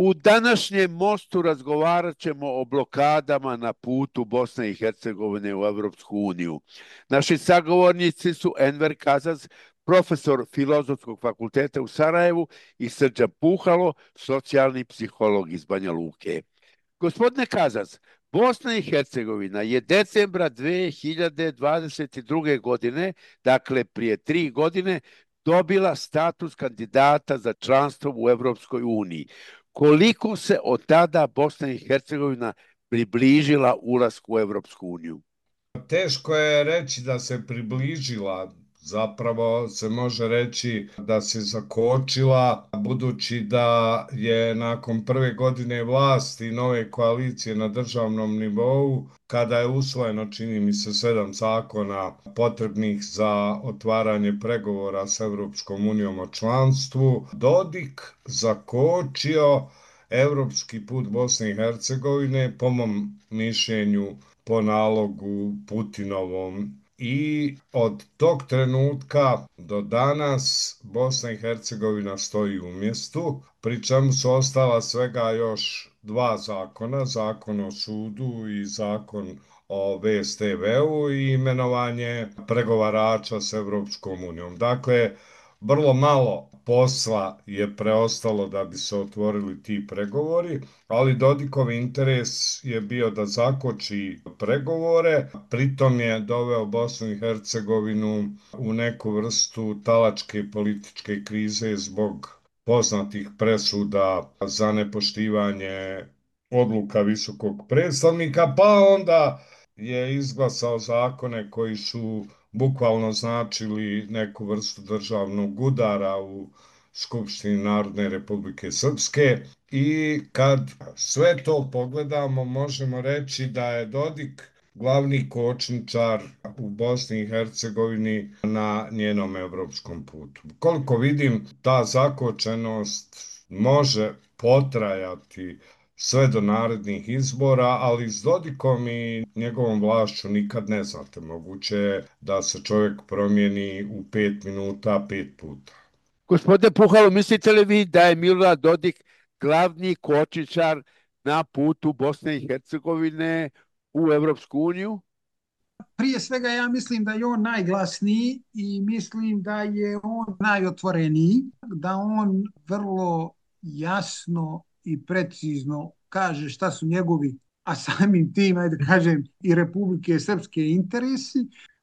U današnjem mostu razgovarat ćemo o blokadama na putu Bosne i Hercegovine u Europsku uniju. Naši sagovornici su Enver Kazaz, profesor Filozofskog fakulteta u Sarajevu, i Srđan Puhalo, socijalni psiholog iz Banja Luke. Gospodine Kazaz, Bosna i Hercegovina je decembra 2022. godine, dakle prije 3 godine, dobila status kandidata za članstvo u Europskoj uniji. Koliko se od tada Bosna i Hercegovina približila ulasku u Europsku uniju? Teško je reći da se približila, zapravo se može reći da se zakočila, budući da je nakon prve godine vlasti nove koalicije na državnom nivou, kada je usvojeno, čini mi se, 7 zakona potrebnih za otvaranje pregovora s Europskom unijom o članstvu, Dodik zakočio evropski put Bosne i Hercegovine, po mom mišljenju, po nalogu Putinovom, i od tog trenutka do danas Bosna i Hercegovina stoji u mjestu, pri čemu su ostala svega još 2 zakona, zakon o sudu i zakon o VSTV-u i imenovanje pregovarača s Evropskom unijom. Dakle, vrlo malo posla je preostalo da bi se otvorili ti pregovori, ali Dodikov interes je bio da zakoči pregovore, pritom je doveo Bosnu i Hercegovinu u neku vrstu talačke političke krize zbog poznatih presuda za nepoštivanje odluka visokog predstavnika, pa onda je izglasao zakone koji su bukvalno značili neku vrstu državnog udara u Skupštini Narodne Republike Srpske, i kad sve to pogledamo možemo reći da je Dodik glavni kočničar u Bosni i Hercegovini na njenom evropskom putu. Koliko vidim, ta zakočenost može potrajati sve do narednih izbora, ali s Dodikom i njegovom vlašću nikad ne znate. Moguće je da se čovjek promijeni u 5 minuta 5 puta. Gospodine Puhalo, mislite li vi da je Milorad Dodik glavni kočničar na putu Bosne i Hercegovine u Europsku uniju? Prije svega ja mislim da je on najglasniji i mislim da je on najotvoreniji, da on vrlo jasno i precizno kaže šta su njegovi, a samim tim, ajde kažem, i Republike Srpske interesi,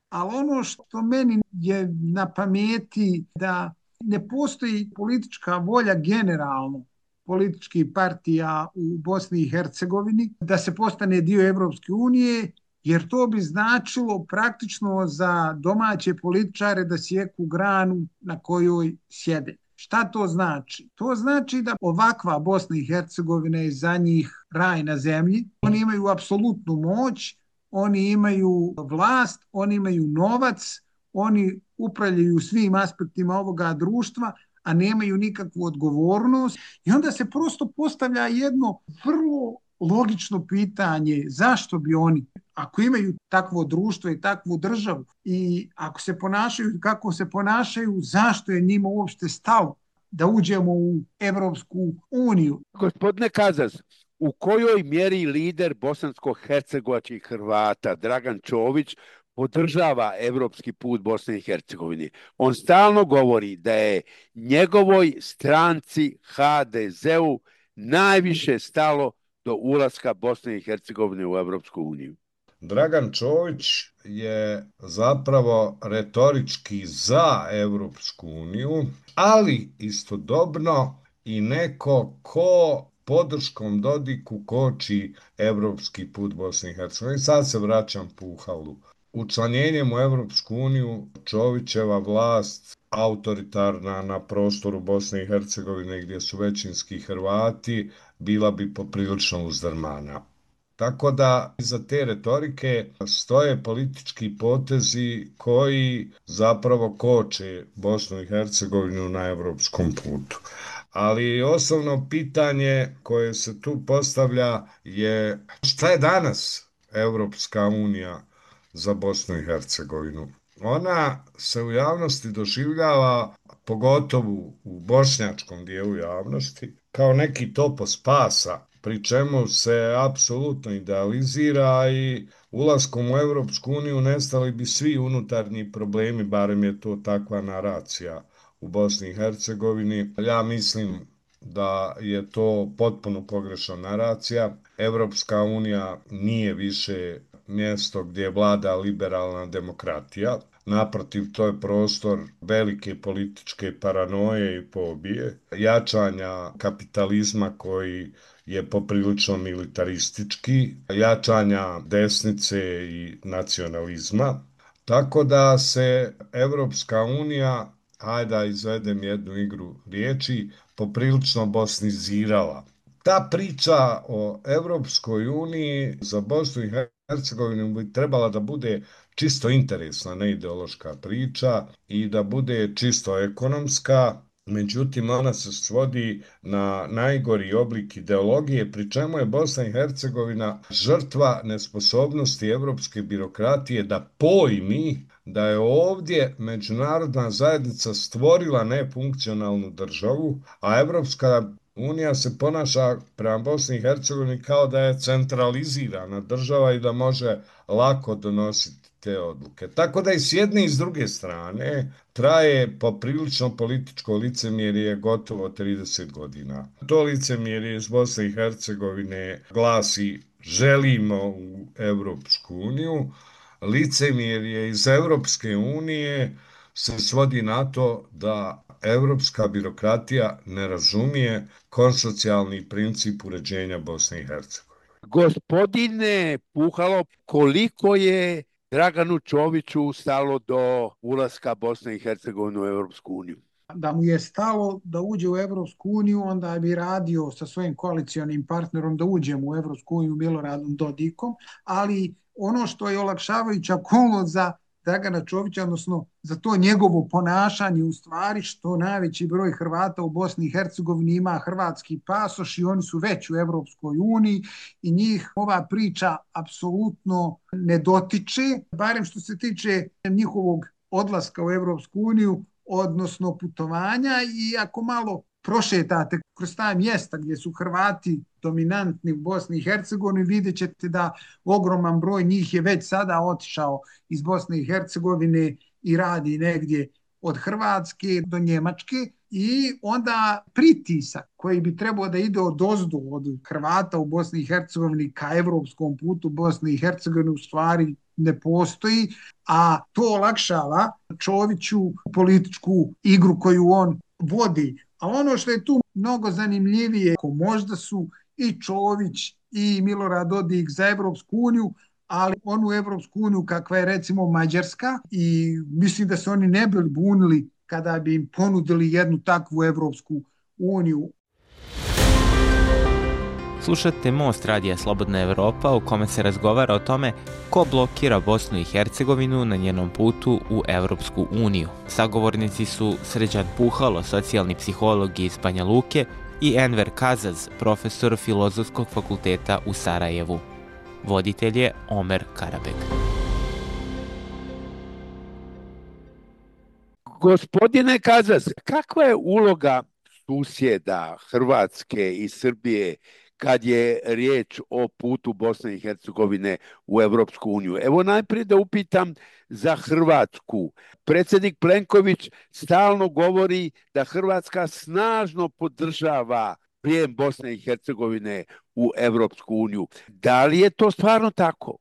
ali ono što meni je na pameti da ne postoji politička volja generalno političkih partija u Bosni i Hercegovini da se postane dio Evropske unije, jer to bi značilo praktično za domaće političare da sjeku granu na kojoj sjede. Šta to znači? To znači da ovakva Bosna i Hercegovina je za njih raj na zemlji. Oni imaju apsolutnu moć, oni imaju vlast, oni imaju novac, oni upravljaju svim aspektima ovoga društva, a nemaju nikakvu odgovornost. I onda se prosto postavlja jedno vrlo logično pitanje, zašto bi oni, ako imaju takvo društvo i takvu državu, i ako se ponašaju kako se ponašaju, zašto je njima uopšte stalo da uđemo u Evropsku uniju? Gospodine Kazaz, u kojoj mjeri lider bosansko-hercegovačkih Hrvata Dragan Čović podržava evropski put Bosne i Hercegovine? On stalno govori da je njegovoj stranci HDZ-u najviše stalo do ulaska Bosne i Hercegovine u Evropsku uniju. Dragan Čović je zapravo retorički za Evropsku uniju, ali istodobno i neko ko podrškom Dodiku koči evropski put Bosne i Hercegovine. Sad se vraćam Puhalu. Učlanjenjem u Evropsku uniju Čovićeva vlast, autoritarna na prostoru Bosne i Hercegovine gdje su većinski Hrvati, bila bi poprilično uzdrmana. Tako da iza te retorike stoje politički potezi koji zapravo koče Bosnu i Hercegovinu na evropskom putu. Ali osnovno pitanje koje se tu postavlja je šta je danas Evropska unija za Bosnu i Hercegovinu? Ona se u javnosti doživljava, pogotovo u bošnjačkom dijelu javnosti, kao neki topos spasa, pri čemu se apsolutno idealizira i ulaskom u Europsku uniju nestali bi svi unutarnji problemi, barem je to takva naracija u Bosni i Hercegovini. Ja mislim da je to potpuno pogrešna naracija. Evropska unija nije više mjesto gdje vlada liberalna demokratija. Naprotiv, to je prostor velike političke paranoje i pobije, jačanja kapitalizma koji je poprilično militaristički, jačanja desnice i nacionalizma. Tako da se Evropska unija, hajde da izvedem jednu igru riječi, poprilično bosnizirala. Ta priča o Evropskoj uniji za Bosnu i Hercegovinu bi trebala da bude čisto interesna, ne ideološka priča i da bude čisto ekonomska. Međutim, ona se svodi na najgori oblik ideologije, pri čemu je Bosna i Hercegovina žrtva nesposobnosti evropske birokratije da pojmi da je ovdje međunarodna zajednica stvorila nefunkcionalnu državu, a Evropska unija se ponaša prema Bosni i Hercegovini kao da je centralizirana država i da može lako donositi te odluke. Tako da i s jedne i s druge strane traje poprilično političko licemjerje gotovo 30 godina. To licemjerje iz Bosne i Hercegovine glasi želimo u Evropsku uniju, licemjerje iz Evropske unije se svodi na to da evropska birokratija ne razumije konsocijalni princip uređenja Bosne i Hercegovine. Gospodine Puhalo, koliko je Draganu Čoviću stalo do ulaska Bosne i Hercegovine u Evropsku uniju? Da mu je stalo da uđe u Evropsku uniju, onda bi radio sa svojim koalicionim partnerom da uđemo u Evropsku uniju Miloradom Dodikom, ali ono što je olakšavajuća okolnost za Dragana Čovića, odnosno za to njegovo ponašanje u stvari što najveći broj Hrvata u Bosni i Hercegovini ima hrvatski pasoš i oni su već u Evropskoj uniji i njih ova priča apsolutno ne dotiče, barem što se tiče njihovog odlaska u Evropsku uniju, odnosno putovanja, i ako malo prošetate kroz ta mjesta gdje su Hrvati dominantni u Bosni i Hercegovini, vidjet ćete da ogroman broj njih je već sada otišao iz Bosne i Hercegovine i radi negdje od Hrvatske do Njemačke, i onda pritisak koji bi trebao da ide odozdo od Hrvata u Bosni i Hercegovini ka evropskom putu Bosne i Hercegovine u stvari ne postoji, a to olakšava Čoviću političku igru koju on vodi. A ono što je tu mnogo zanimljivije, možda su i Čović i Milorad Dodik za Evropsku uniju, ali onu Evropsku uniju kakva je recimo Mađarska, i mislim da se oni ne bili bunili kada bi im ponudili jednu takvu Evropsku uniju. Slušate Most radija Slobodna Evropa, u kome se razgovara o tome ko blokira Bosnu i Hercegovinu na njenom putu u Evropsku uniju. Sagovornici su Srđan Puhalo, socijalni psiholog iz Banja Luke, i Enver Kazaz, profesor Filozofskog fakulteta u Sarajevu. Voditelj je Omer Karabek. Gospodine Kazaz, kakva je uloga susjeda Hrvatske i Srbije kad je riječ o putu Bosne i Hercegovine u Evropsku uniju? Evo najprije da upitam za Hrvatsku. Predsjednik Plenković stalno govori da Hrvatska snažno podržava prijem Bosne i Hercegovine u Evropsku uniju. Da li je to stvarno tako?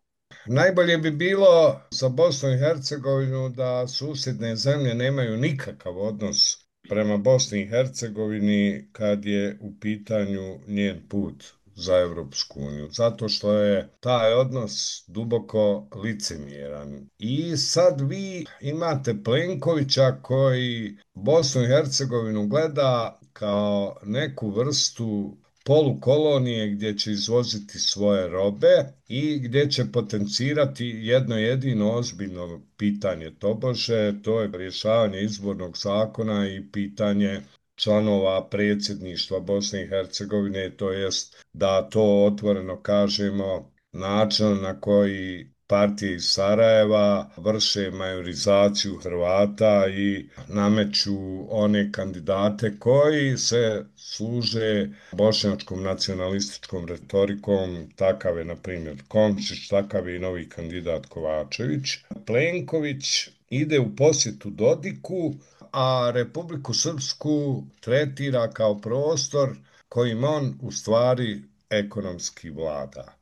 Najbolje bi bilo za Bosnu i Hercegovinu da susjedne zemlje nemaju nikakav odnos prema Bosni i Hercegovini kad je u pitanju njen put za Evropsku uniju, zato što je taj odnos duboko licemjeran. I sad vi imate Plenkovića koji Bosnu i Hercegovinu gleda kao neku vrstu polukolonije gdje će izvoziti svoje robe i gdje će potencirati jedno jedino ozbiljno pitanje tobože, to je rješavanje izbornog zakona i pitanje članova predsjedništva Bosne i Hercegovine, to jest da to otvoreno kažemo način na koji partije iz Sarajeva vrše majorizaciju Hrvata i nameću one kandidate koji se služe bošnjačkom nacionalističkom retorikom. Takav je, na primjer, Komšić, takav je i novi kandidat Kovačević. Plenković ide u posjetu Dodiku, a Republiku Srpsku tretira kao prostor kojim on u stvari ekonomski vlada.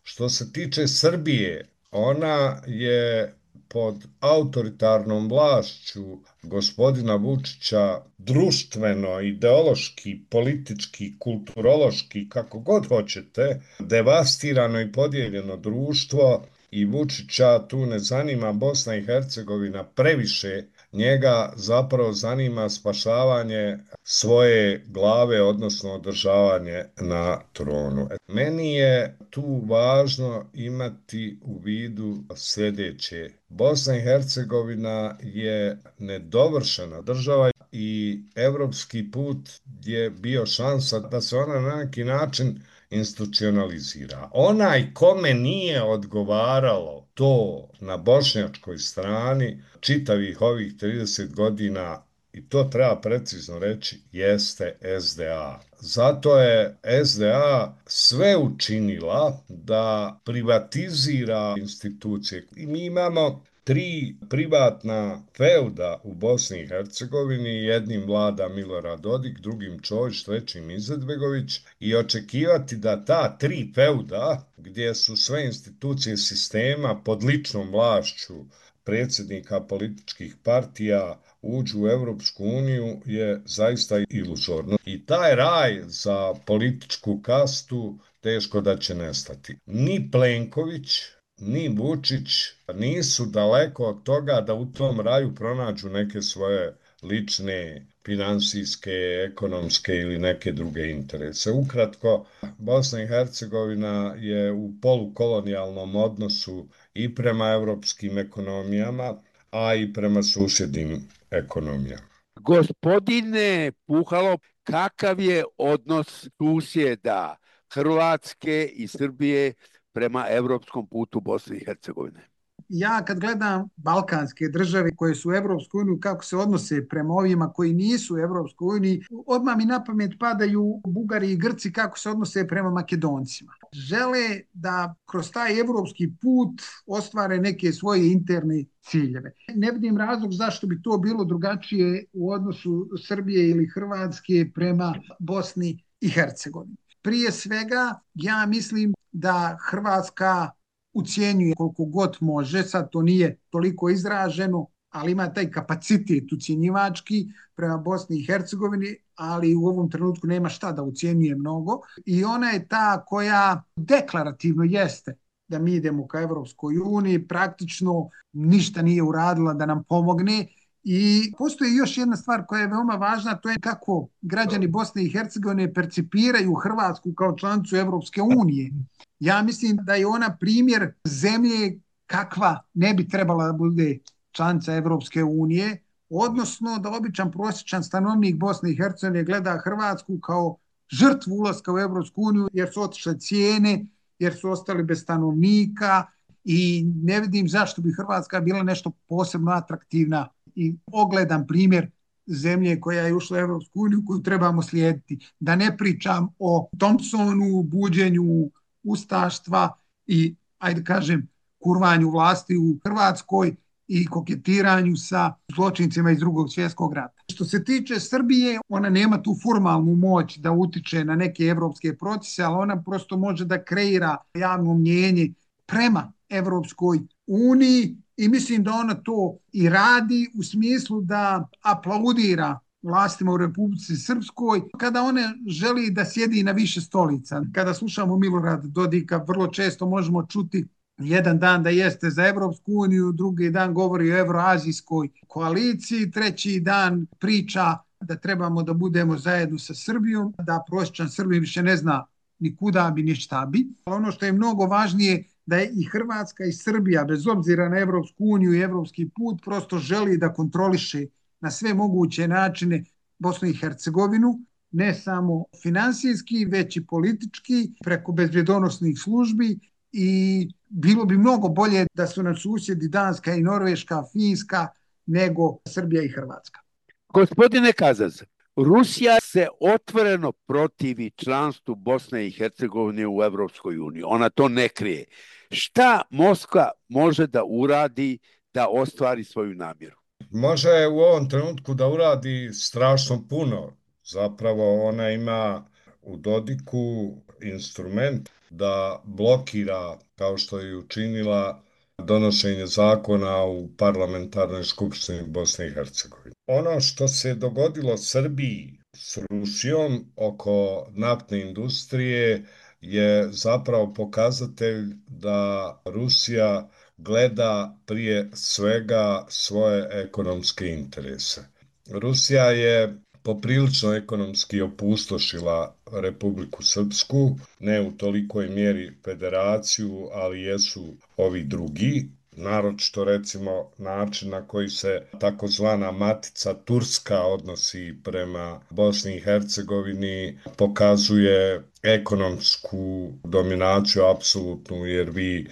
Što se tiče Srbije, ona je pod autoritarnom vlašću gospodina Vučića društveno, ideološki, politički, kulturološki, kako god hoćete, devastirano i podijeljeno društvo i Vučića tu ne zanima Bosna i Hercegovina previše, njega zapravo zanima spašavanje svoje glave, odnosno održavanje na tronu. Meni je tu važno imati u vidu sljedeće. Bosna i Hercegovina je nedovršena država i evropski put je bio šansa da se ona na neki način institucionalizira. Onaj kome nije odgovaralo to na bošnjačkoj strani čitavih ovih 30 godina, i to treba precizno reći, jeste SDA. Zato je SDA sve učinila da privatizira institucije. I mi imamo 3 privatna feuda u Bosni i Hercegovini, jednim vlada Milorad Dodik, drugim Čović, trećim Izetbegović, i očekivati da ta 3 feuda, gdje su sve institucije sistema pod ličnom vlašću predsjednika političkih partija, uđu u Evropsku uniju je zaista iluzorno. I taj raj za političku kastu teško da će nestati. Ni Plenković, ni Vučić nisu daleko od toga da u tom raju pronađu neke svoje lične, finansijske, ekonomske ili neke druge interese. Ukratko, Bosna i Hercegovina je u polukolonijalnom odnosu i prema evropskim ekonomijama, a i prema susjednim ekonomijama. Gospodine Puhalo, kakav je odnos susjeda Hrvatske i Srbije prema evropskom putu Bosne i Hercegovine? Ja kad gledam balkanske države koje su u Evropskoj uniji, kako se odnose prema ovima koji nisu u Evropskoj uniji, odmah mi na pamet padaju Bugari i Grci kako se odnose prema Makedoncima. Žele da kroz taj evropski put ostvare neke svoje interne ciljeve. Ne vidim razlog zašto bi to bilo drugačije u odnosu Srbije ili Hrvatske prema Bosni i Hercegovini. Prije svega, ja mislim da Hrvatska ucijenjuje koliko god može, sad to nije toliko izraženo, ali ima taj kapacitet ucijenjivački prema Bosni i Hercegovini, ali u ovom trenutku nema šta da ucijenjuje mnogo. I ona je ta koja deklarativno jeste da mi idemo ka Evropskoj uniji, praktično ništa nije uradila da nam pomogne. I postoji još jedna stvar koja je veoma važna, to je kako građani Bosne i Hercegovine percipiraju Hrvatsku kao članicu Evropske unije. Ja mislim da je ona primjer zemlje kakva ne bi trebala da bude članica Evropske unije, odnosno da običan prosječan stanovnik Bosne i Hercegovine gleda Hrvatsku kao žrtvu ulaska u Evropsku uniju jer su otišle cijene, jer su ostali bez stanovnika i ne vidim zašto bi Hrvatska bila nešto posebno atraktivna i ogledan primjer zemlje koja je ušla u Evropsku uniju koju trebamo slijediti. Da ne pričam o Thompsonu, buđenju ustaštva i, ajde kažem, kurvanju vlasti u Hrvatskoj i koketiranju sa zločincima iz Drugog svjetskog rata. Što se tiče Srbije, ona nema tu formalnu moć da utiče na neke evropske procese, ali ona prosto može da kreira javno mnjenje prema Evropskoj uniji i mislim da ona to i radi u smislu da aplaudira vlastima u Republici Srpskoj kada one želi da sjedi na više stolica. Kada slušamo Milorad Dodika, vrlo često možemo čuti jedan dan da jeste za Evropsku uniju, drugi dan govori o Evroazijskoj koaliciji, treći dan priča da trebamo da budemo zajedno sa Srbijom, da prosječan Srbin više ne zna ni kuda bi, ni šta bi. Ono što je mnogo važnije da je i Hrvatska i Srbija, bez obzira na Evropsku uniju i evropski put, prosto želi da kontroliše na sve moguće načine Bosnu i Hercegovinu, ne samo finansijski, već i politički, preko bezbjedonosnih službi i bilo bi mnogo bolje da su nam susjedi Danska i Norveška, Finska, nego Srbija i Hrvatska. Gospodine Kazaz, Rusija se otvoreno protivi članstvu Bosne i Hercegovine u Evropskoj uniji. Ona to ne krije. Šta Moskva može da uradi da ostvari svoju namjeru? Može u ovom trenutku da uradi strašno puno. Zapravo ona ima u Dodiku instrument da blokira, kao što je učinila, donošenje zakona u parlamentarnoj skupštini Bosne i Hercegovine. Ono što se dogodilo Srbiji s Rusijom oko naftne industrije je zapravo pokazatelj da Rusija gleda prije svega svoje ekonomske interese. Rusija je poprilično ekonomski opustošila Republiku Srpsku, ne u tolikoj mjeri federaciju, ali jesu ovi drugi. Naročito recimo način na koji se takozvana matica Turska odnosi prema Bosni i Hercegovini pokazuje ekonomsku dominaciju apsolutnu, jer vi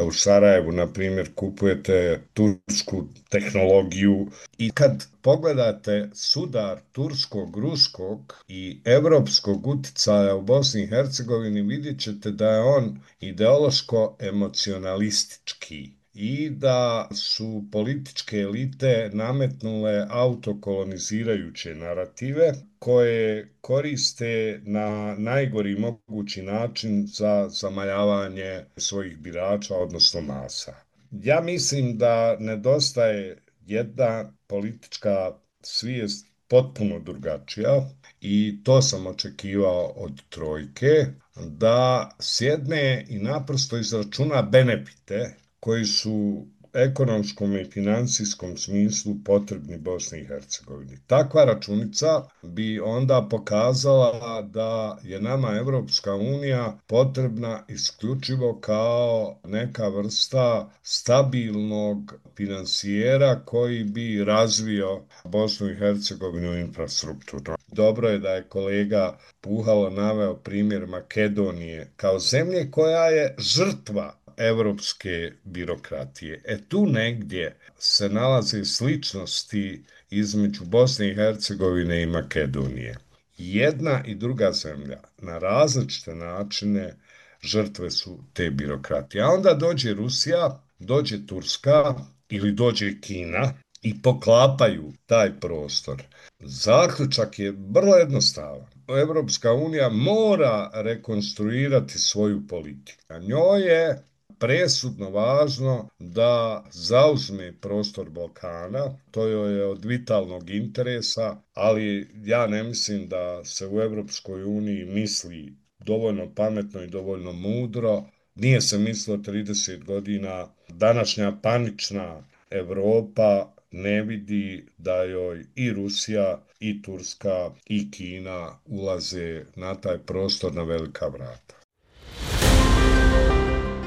u Sarajevu, na primjer, kupujete tursku tehnologiju i kad pogledate sudar turskog, ruskog i evropskog uticaja u Bosni i Hercegovini, vidjet ćete da je on ideološko-emocionalistički i da su političke elite nametnule autokolonizirajuće narative koje koriste na najgori mogući način za zamajavanje svojih birača, odnosno masa. Ja mislim da nedostaje jedna politička svijest potpuno drugačija i to sam očekivao od trojke, da sjedne i naprosto izračuna benefite koji su ekonomskom i financijskom smislu potrebni Bosni i Hercegovini. Takva računica bi onda pokazala da je nama Evropska unija potrebna isključivo kao neka vrsta stabilnog finansijera koji bi razvio Bosnu i Hercegovinu infrastrukturu. Dobro je da je kolega Puhalo naveo primjer Makedonije kao zemlje koja je žrtva evropske birokratije. Tu negdje se nalaze sličnosti između Bosne i Hercegovine i Makedonije. Jedna i druga zemlja na različite načine žrtve su te birokratije. A onda dođe Rusija, dođe Turska ili dođe Kina i poklapaju taj prostor. Zaključak je vrlo jednostavan. Evropska unija mora rekonstruirati svoju politiku. A njoj je presudno važno da zauzme prostor Balkana, to joj je od vitalnog interesa, ali ja ne mislim da se u Evropskoj uniji misli dovoljno pametno i dovoljno mudro. Nije se mislilo 30 godina. Današnja panična Evropa ne vidi da joj i Rusija, i Turska, i Kina ulaze na taj prostor na velika vrata.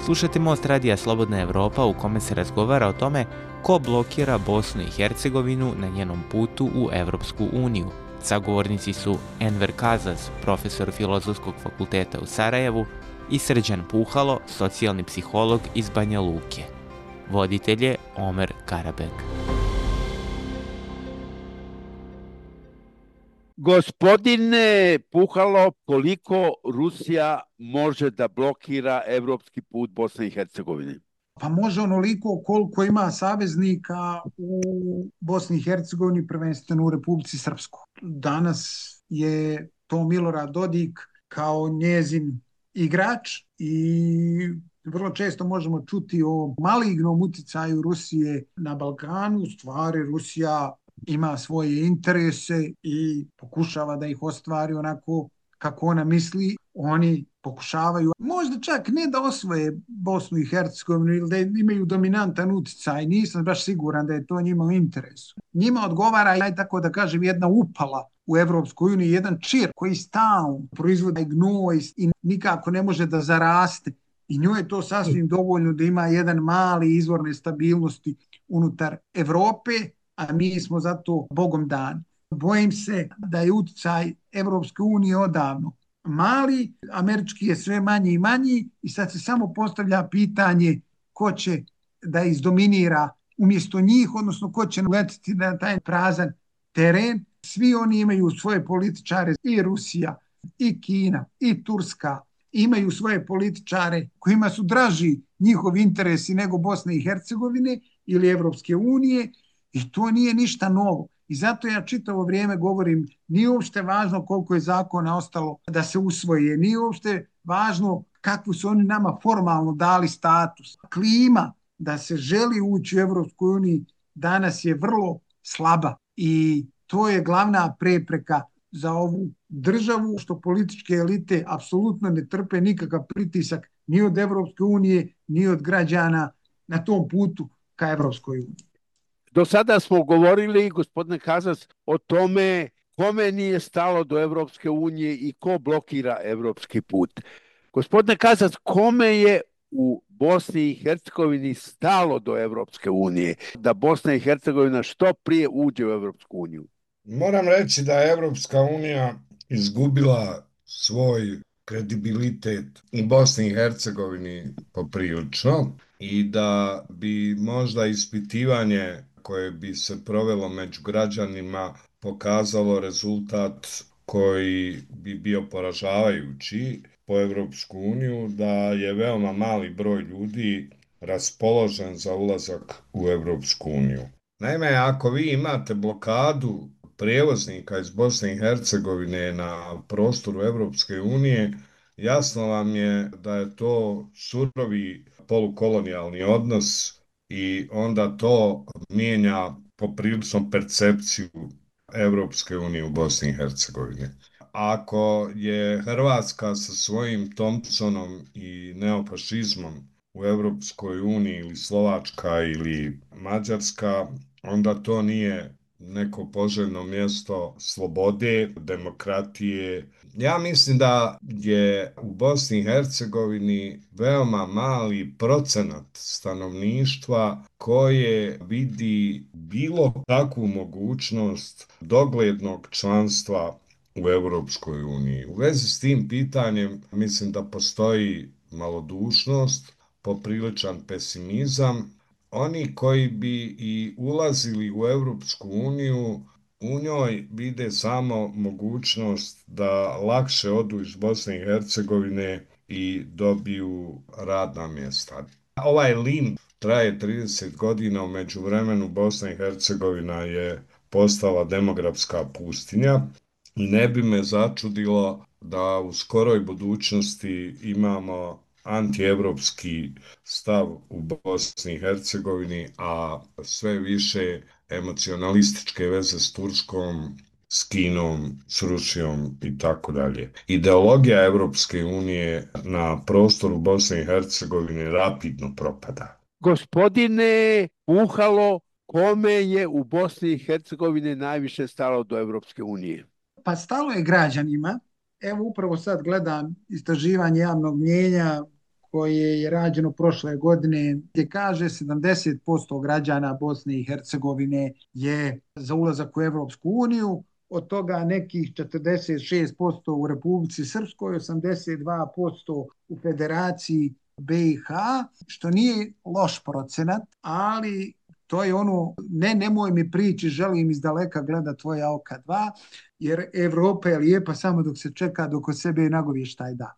Slušajte Most radija Slobodna Evropa u kome se razgovara o tome ko blokira Bosnu i Hercegovinu na njenom putu u Evropsku uniju. Sagovornici su Enver Kazaz, profesor Filozofskog fakulteta u Sarajevu, i Srđan Puhalo, socijalni psiholog iz Banja Luke. Voditelj je Omer Karabek. Gospodine Puhalo, koliko Rusija može da blokira evropski put Bosne i Hercegovine? Pa može onoliko koliko ima saveznika u Bosni i Hercegovini, prvenstveno u Republici Srpskoj. Danas je to Milorad Dodik kao njezin igrač i vrlo često možemo čuti o malignom uticaju Rusije na Balkanu. U stvari Rusija ima svoje interese i pokušava da ih ostvari onako kako ona misli. Oni pokušavaju možda čak ne da osvoje Bosnu i Hercegovinu ili da imaju dominantan uticaj. Nisam baš siguran da je to njima u interesu. Njima odgovara, tako da kažem, jedna upala u Evropskoj uniji, jedan čir koji stalno proizvodi gnoj i nikako ne može da zaraste. I njoj je to sasvim dovoljno da ima jedan mali izvor nestabilnosti unutar Evrope, a mi smo zato Bogom dani. Bojim se da je uticaj Evropske unije odavno mali, američki je sve manji i manji i sad se samo postavlja pitanje ko će da izdominira umjesto njih, odnosno ko će letiti na taj prazan teren. Svi oni imaju svoje političare, i Rusija, i Kina, i Turska, imaju svoje političare kojima su draži njihovi interesi nego Bosne i Hercegovine ili Evropske unije i to nije ništa novo. I zato ja čitavo vrijeme govorim, nije uopšte važno koliko je zakona ostalo da se usvoje, nije uopšte važno kakvu su oni nama formalno dali status. Klima da se želi ući u Evropskoj uniji danas je vrlo slaba i to je glavna prepreka za ovu državu, što političke elite apsolutno ne trpe nikakav pritisak ni od Evropske unije, ni od građana na tom putu ka Evropskoj uniji. Do sada smo govorili, gospodine Kazas, o tome kome nije stalo do Evropske unije i ko blokira evropski put. Gospodine Kazas, kome je u Bosni i Hercegovini stalo do Evropske unije, da Bosna i Hercegovina što prije uđe u Evropsku uniju? Moram reći da je Evropska unija izgubila svoj kredibilitet u Bosni i Hercegovini poprilično i da bi možda ispitivanje koje bi se provelo među građanima pokazalo rezultat koji bi bio poražavajući po Evropsku uniju, da je veoma mali broj ljudi raspoložen za ulazak u Evropsku uniju. Naime, ako vi imate blokadu prijevoznika iz Bosne i Hercegovine na prostoru Evropske unije, jasno vam je da je to surovi polukolonijalni odnos i onda to mijenja poprilično percepciju Evropske unije u Bosni i Hercegovini. Ako je Hrvatska sa svojim Thompsonom i neofašizmom u Evropskoj uniji ili Slovačka ili Mađarska, onda to nije neko poželjno mjesto slobode, demokratije. Ja mislim da je u Bosni i Hercegovini veoma mali procenat stanovništva koje vidi bilo kakvu mogućnost doglednog članstva u Evropskoj uniji. U vezi s tim pitanjem mislim da postoji malodušnost, popriličan pesimizam. Oni koji bi i ulazili u Evropsku uniju, u njoj vide samo mogućnost da lakše odu iz Bosne i Hercegovine i dobiju radna mjesta. Ovaj limb traje 30 godina, u međuvremenu Bosna i Hercegovina je postala demografska pustinja i ne bi me začudilo da u skoroj budućnosti imamo antievropski stav u Bosni i Hercegovini, a sve više emocionalističke veze s Turskom, s Kinom, s Rusijom i tako dalje. Ideologija Evropske unije na prostoru Bosne i Hercegovine rapidno propada. Gospodine Puhalo, kome je u Bosni i Hercegovini najviše stalo do Evropske unije? Pa stalo je građanima. Evo upravo sad gledam istraživanje javnog mnijenja koje je rađeno prošle godine, gdje kaže 70% građana Bosne i Hercegovine je za ulazak u Evropsku uniju, od toga nekih 46% u Republici Srpskoj, 82% u Federaciji BiH, što nije loš procenat, ali to je ono, nemoj mi prići, želim iz daleka gleda tvoja oka dva, jer Evropa je lijepa samo dok se čeka, dok od sebe nagovještaj da.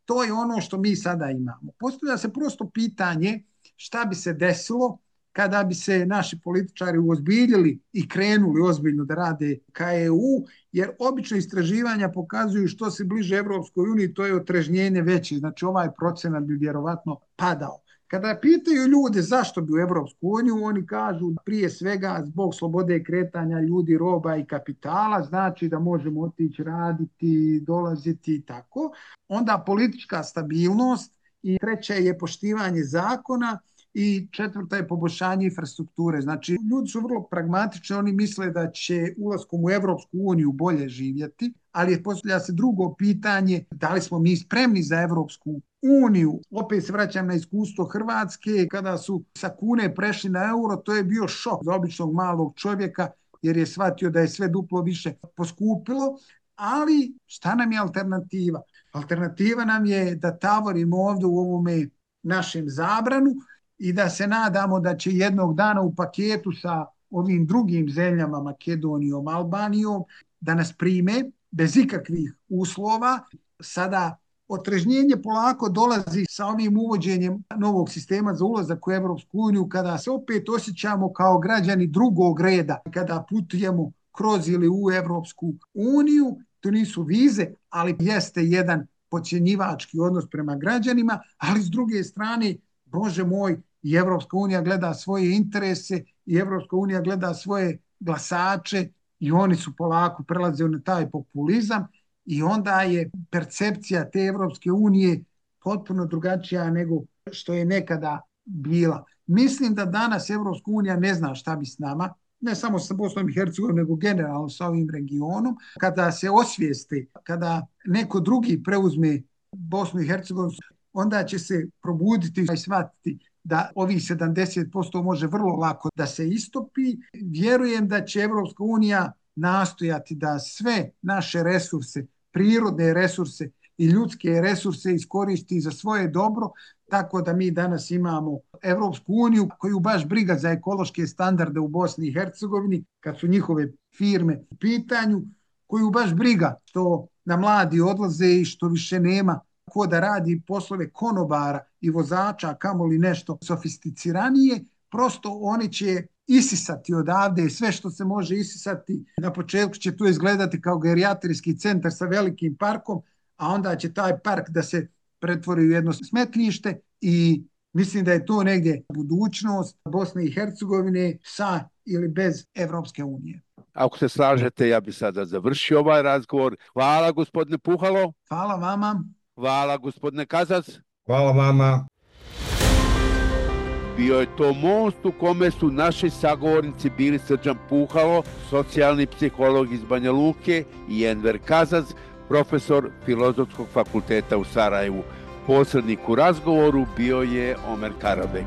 To je ono što mi sada imamo. Postavlja se prosto pitanje šta bi se desilo kada bi se naši političari uozbiljili i krenuli ozbiljno da rade ka EU, jer obično istraživanja pokazuju što se bliže Evropskoj uniji, to je otrežnjenje veće, znači ovaj procenat bi vjerovatno padao. Kada pitaju ljude zašto bi u Evropsku uniju, oni kažu prije svega zbog slobode kretanja ljudi, roba i kapitala, znači da možemo otići raditi, dolaziti i tako. Onda politička stabilnost i treća je poštivanje zakona i četvrta je poboljšanje infrastrukture. Znači, ljudi su vrlo pragmatični, oni misle da će ulaskom u Evropsku uniju bolje živjeti, ali postavlja se drugo pitanje, da li smo mi spremni za Evropsku uniju. Opet se vraćam na iskustvo Hrvatske, kada su sa kune prešli na euro, to je bio šok za običnog malog čovjeka, jer je shvatio da je sve duplo više poskupilo. Ali šta nam je alternativa? Alternativa nam je da tavorimo ovdje u ovome našem zabranu i da se nadamo da će jednog dana u paketu sa ovim drugim zemljama, Makedonijom, Albanijom, da nas prime bez ikakvih uslova. Sada otrežnjenje polako dolazi sa ovim uvođenjem novog sistema za ulazak u Evropsku uniju, kada se opet osjećamo kao građani drugog reda, kada putujemo kroz ili u Evropsku uniju. To nisu vize, ali jeste jedan podcjenjivački odnos prema građanima, ali s druge strane, Bože moj, i Evropska unija gleda svoje interese i Evropska unija gleda svoje glasače i oni su polako prelaze na taj populizam i onda je percepcija te Evropske unije potpuno drugačija nego što je nekada bila. Mislim da danas Evropska unija ne zna šta bi s nama, ne samo sa Bosnom i Hercegovinom, nego generalno sa ovim regionom. Kada se osvijeste, kada neko drugi preuzme Bosnu i Hercegovinu, onda će se probuditi i shvatiti da ovih 70% može vrlo lako da se istopi. Vjerujem da će Evropska unija nastojati da sve naše resurse, prirodne resurse i ljudske resurse iskoristi za svoje dobro, tako da mi danas imamo Evropsku uniju koju baš briga za ekološke standarde u Bosni i Hercegovini, kad su njihove firme u pitanju, koju baš briga što na mladi odlaze i što više nema ko da radi poslove konobara i vozača, kamoli nešto sofisticiranije. Prosto oni će isisati odavde sve što se može isisati. Na početku će to izgledati kao gerijatrijski centar sa velikim parkom, a onda će taj park da se pretvori u jedno smetlište i mislim da je to negdje budućnost Bosne i Hercegovine sa ili bez Evropske unije. Ako se slažete, ja bih sada završio ovaj razgovor. Hvala gospodine Puhalo. Hvala vama. Hvala gospodine Kazac. Hvala vama. Bio je to most u kome su naši sagovornici bili Srđan Puhalo, socijalni psiholog iz Banja Luke, i Enver Kazac, profesor Filozofskog fakulteta u Sarajevu. Posrednik u razgovoru bio je Omer Karabek.